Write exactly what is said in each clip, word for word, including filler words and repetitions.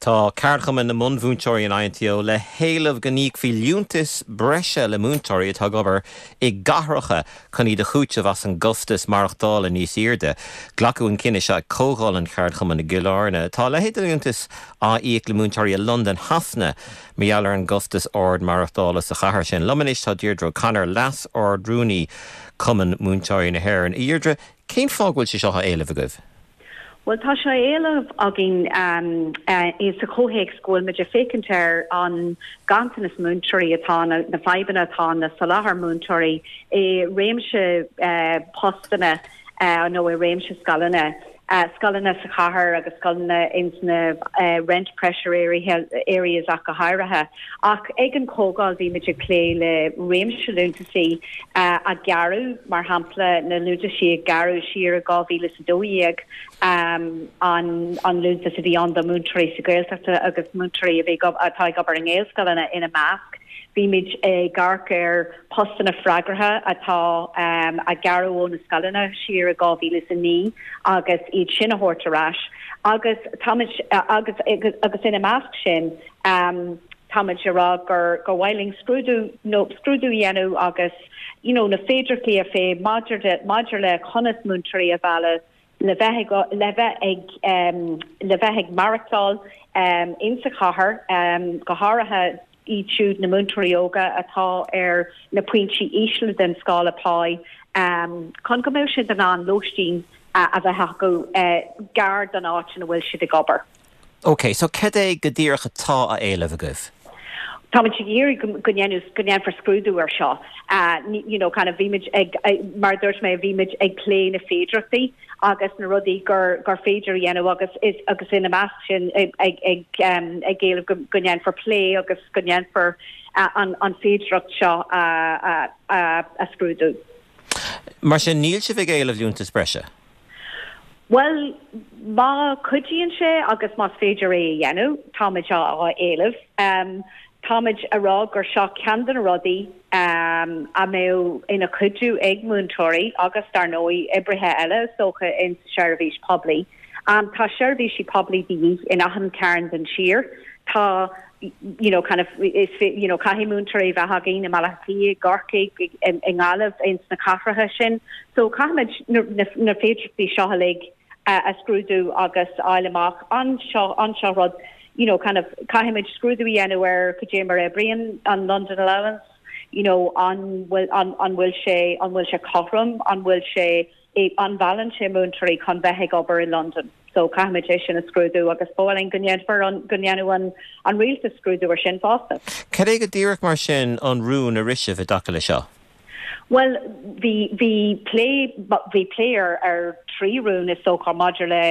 Tá Ceardchumann na mbunmhúinteoirí an I N T O le héileamh go n-íocfaí liúntas breise le múinteoirí atá ag obair i gcathracha chun iad a chúiteamh as an gcostas maireachtála níos airde. Glacadh an cinneadh seo ag comhdháil an cheardchumainn i gCill Airne. Tá leithéid de liúntas á íoc le múinteoirí i Londain Shasana mar gheall ar an gcostas ard maireachtála sa chathair sin. Liom anois tá Deirdre O'Connor, Leas-Ard-Rúnaí Cumann Múinteoirí na hÉireann. Deirdre, cén fáth go bhfuil sé seo á éileamh agaibh? Well, tá sé á éileamh againn um, uh, sa chomhthéacs go bhfuil muid ag féachaint ar an ganntanas múinteoirí atá na, na fadhbanna atá na soláthar múinteoirí i réimse uh, postanna uh, nó i réimse scoileanna. Uh, scoileanna sa chathair agus scoileanna ins na uh, rent pressure area, areas ach go háirithe. Ach ag an chomhdháil bhí muid ag plé le réimse liúntaisí uh, a gearradh, mar shampla na liúntaisí a gearradh siar i dhá mhíle a dó dhéag, um, an, an liúntas a bhí ann do múinteoirí sa Ghaeltacht agus múinteoirí a bhí atá ag obair i nGaelscoileanna ina measc. Bhí muid ag amharc ar postanna freagartha atá um, a gearradh ó na scoileanna siar i dhá mhíle a naoi agus iad sin a thabhairt ar ais. Agus táimid agus, agus, agus ina measc sin um, táimid ag rá gur gur mhaith linn scrúdú nó scrúdú dhéanamh agus you know, na féidearthachtaí a phlé maidir maidir le conas múinteoirí a mhealladh le bheith le bheith ag um, le bheith ag maireachtáil um, insa chathair, um, go háirithe iad siúd, na múinteoirí óga atá ar na pointí ísle den scála pá, um, chun go mbeidh siad in ann lóistín uh, a bheith acu uh, gar don áit ina bhfuil siad ag obair. Ok, so cad é go díreach atá á éileamh agaibh? Táimid ag iarraidh go go ndéanfar scrúdú ar seo. Uh, you know, kind of bhí ag, ag, mar dúirt mé, bhí ag plé na féidearthachtaí agus na rudaí gur gur féidir dhéanamh agus is agus ina measc sin ag ag ag, um, ag éileamh go, go ndéanfar plé agus go ndéanfar uh, an, an féidearthacht seo uh, uh, uh, a scrúdú. Mar sin níl sibh ag éileamh liúntas breise? Well, má chuidíonn sé agus más féidir é a dhéanamh, táimid á éileamh. Um, táimid ag rá gur seo ceann de na rudaí um, a mbeadh ina chuidiú ag múinteoirí agus dar ndóigh oibrithe eile socha in seirbhís poiblí. Um, tá seirbhísí poiblí de dhíth in achan chearn den tír. Tá you know, kind of is you know, caithfidh múinteoirí bheith againn i Malaí Gorcaigh i nGaillimh, ins na cathracha sin. So caithfimid na, na, na féidearthachtaí seo uilig uh, a scrúdú agus fháil amach an seo an seo rud you know, kind of caithfimid scrúdú dhéanamh ar cad é mar a oibríonn an London allowance, you know, an bhfuil an, an bhfuil sé an bhfuil sé cothrom, an bhfuil sé an meallann sé múinteoirí chun bheith ag obair in London. So caithfimid é sin a scrúdú agus b'fhéidir go ndéanfar an go ndéanfadh an an rialtas scrúdú ar sin fosta. Cad é go díreach mar sin an rún a rith sibh i dtaca le seo? Well, bhí bhí plé bhí plé ar ar trí rún is dócha maidir le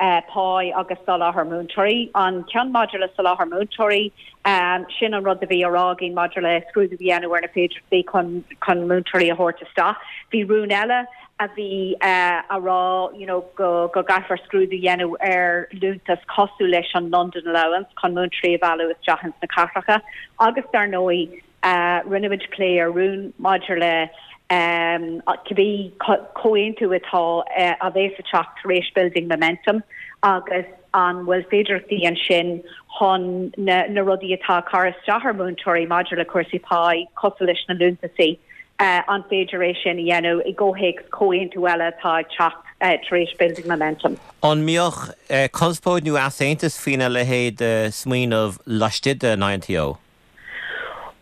uh, pá agus soláthar múinteoirí. An ceann maidir le soláthar múinteoirí, um, sin an rud a bhí á rá againn maidir le scrúdú dhéanamh ar na féidearthachtaí chun chun múinteoirí a thabhairt isteach. Bhí rún eile a bhí uh, á rá you know, go, go gcaithfear scrúdú dhéanamh ar liúntas cosúil leis an London allowance chun múinteoirí a mhealladh isteach ins na cathracha agus dar ndóigh uh, rinne muid plé ar rún maidir le um, cibé comhaontú atá uh, a bheas ag teacht tar éis Building Momentum agus an bhfuil féidearthachtaí ansin chun na, na rudaí atá ag cur isteach ar múinteoirí maidir le cúrsaí pá cosúil leis na liúntaisí. Uh, an féidir é sin a dhéanamh i gcomhthéacs comhaontú eile atá ag teacht uh, tar éis Building Momentum. An mbeadh uh, conspóid nó easaontas faoina leithéid uh, smaoineamh laistigh den I N T O?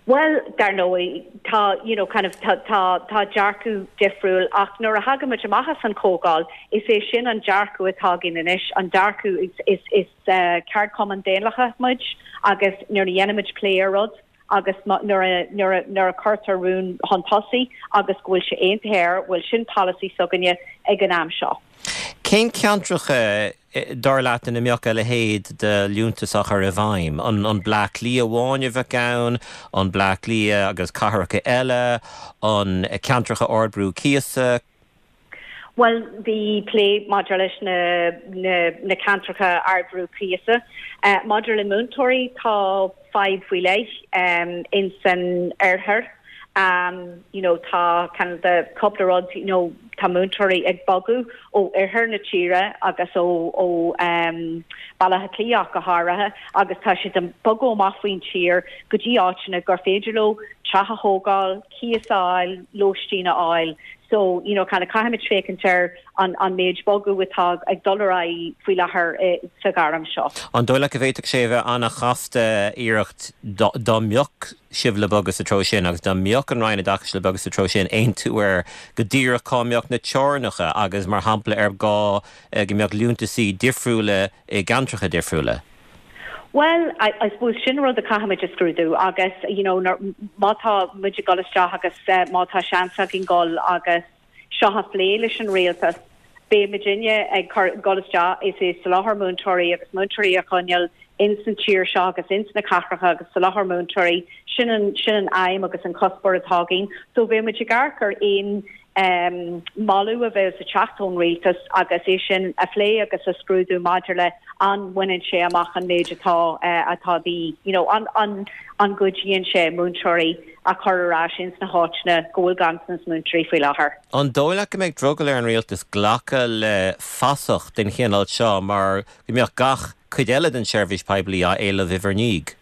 Well, dar ndóigh tá you know, kind of tá tá tá dearcadh difriúil, ach nuair a thagaimid amach as an chomhdháil, is é sin an dearcadh atá againn anois. An dearcadh is is is uh, ceardchumann daonlathach muid agus nuair a dhéanaimid plé ar rud agus nuair nuair a cuirtear rún chun tosaigh agus go bhfuil sé aontaithe, bhuel, sin polasaí s'againne ag an am seo. Cén ceantracha, dar leat, ina mbeadh a leithéid de liúntas á chur i bhfeidhm? An an Bleá Cliath amháin a bheadh ann, an Bleá Cliath agus cathracha eile, an ceantracha ardbhrú cíosa? Well, bhí plé maidir leis na, na, na ceantracha ardbhrú cíosa. Uh, maidir le múinteoirí, tá fadhb faoi leith um, in san oirthear. Um, you know, tá kind of the cúpla rud you know, tá múinteoirí ag bogadh ó oirthear na tíre agus ó ó um, Baile Átha Cliath go háirithe agus tá siad ag bogadh amach faoin tír go dtí áiteanna gur féidir leo teach a thógáil, cíos a fháil, lóistín a fháil. So you know, kind of caithfimid féachaint ar an an méid bogadh atá ag dul ar aghaidh faoi láthair eh, sa ghairm seo. An dóigh leat go bhféadfadh sé bheith an-chasta iarracht dá mbeadh sibh le bogadh sa treo sin agus dá mbeadh an Roinn Oideachais le bogadh sa treo sin aontú ar go díreach cá mbeadh na teorainneacha agus mar shampla ar gá eh, go mbeadh liúntaisí difriúla i gceantracha difriúla. Well, I, I suppose sin rud a chaithfimid a scrúdú agus you know, má tá muid ag dul isteach agus uh, má tá seans againn dul agus seo a phlé leis an rialtas beidh muidinne ag dul isteach is é soláthar múinteoirí agus múinteoirí a choinneáil ins an tír seo agus ins na cathracha agus soláthar múinteoirí sin an sin an aidhm agus an cuspóir atá againn, so bheidh muid ag amharc ar aon um, moladh a bheas ag teacht ón rialtas agus é sin a phlé agus a scrúdú maidir le an mbaineann sé amach an méid atá uh, atá the you know, an, an, an gcuidíonn sé múinteoirí a chur ar ais ins na háiteanna go bhfuil ganntanas múinteoirí faoi láthair. An dóigh leat go mbeidh drogall ar an rialtas glacadh le fasach den chineál seo mar go mbeadh gach cuid eile den seirbhís poiblí á éileamh i ndiaidh.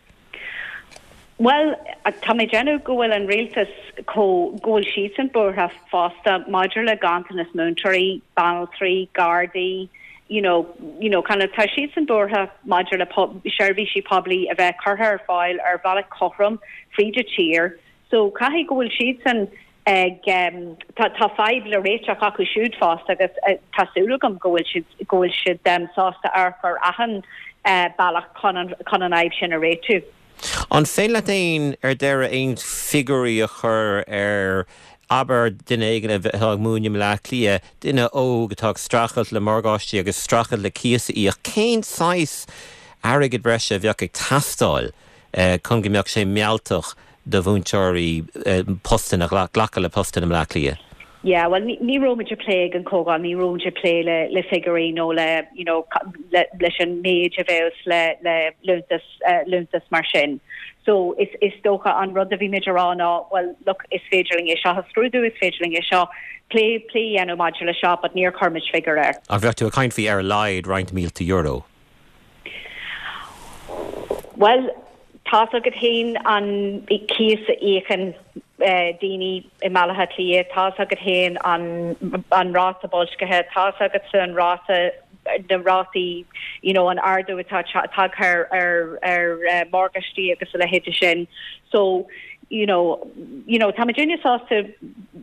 Well, tá mé ag déanamh go bhfuil an rialtas go bhfuil siadsan buartha fosta maidir le ganntanas múinteoirí, banaltraí, gardaí, you know, you know, kind of tá siadsan buartha maidir le seirbhísí poiblí a bheith curtha ar fáil ar bhealach cothrom fríd an tír. So caithfidh go bhfuil siadsan ag um, tá tá fadhb le réiteach acu siúd fosta agus uh, tá súil agam go bhfuil siad go bhfuil siad um, sásta amharc ar achan uh, bealach chun an chun an fhadhb sin a réiteach. An féidir leat aon ar deireadh aon figiúirí a chur ar abair duine éigin atá ag múineadh i mBaile Átha Cliath, duine óg atá ag streachailt le morgáistí agus streachailt le cíos a íoc cén saghas airgead breise a bheadh ag teastáil eh, chun go mbeadh sé mealltach do mhúinteoirí eh, postanna a ghlacadh le postanna i mBaile Átha Cliath. Yeah, well ní raibh muid ag plé ag an gcomhdháil, ní raibh muid ag plé le le figiúirí nó le you know, le, leis an méid a bheas le le liúntas uh, liúntas mar sin. So is is dócha an rud a bhí muid ag rá ná well look is féidir linn é seo a scrúdú is féidir linn é seo plé plé a dhéanamh maidir le seo, but níor chuir muid figiúr air. A bheith tú ag caint faoi ar a laghad roinnt mílte euro. Well, tá agat féin an cíos a íocann eh, daoine i mBaile Átha Cliath, tá agat féin an an ráta boilscithe, tá agat an ráta na rátaí you know, an ardú atá tagtha ar ar uh, morgáistí agus a leithéid sin. So you know, you know, tá muidinne sásta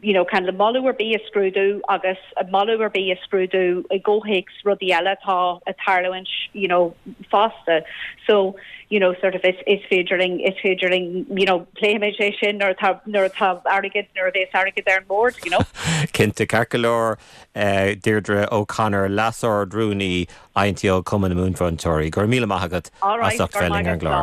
you know, kind of moladh ar bith a scrúdú agus a moladh ar bith a scrúdú i gcomhthéacs rudaí eile tá ag tarlúint you know, fosta. So you know, sort of is, is féidir linn is féidir linn you know, pléifimid é sin nuair atá nuair atá airgead nuair a bheas airgead ar an mbord, you know. Cinnte ceart go leor uh, Deirdre O'Connor LeasArd-Rúnaí INTO Cumann na Múinteoirí, gur míle maith agat as ucht bheith linn ar an gclár.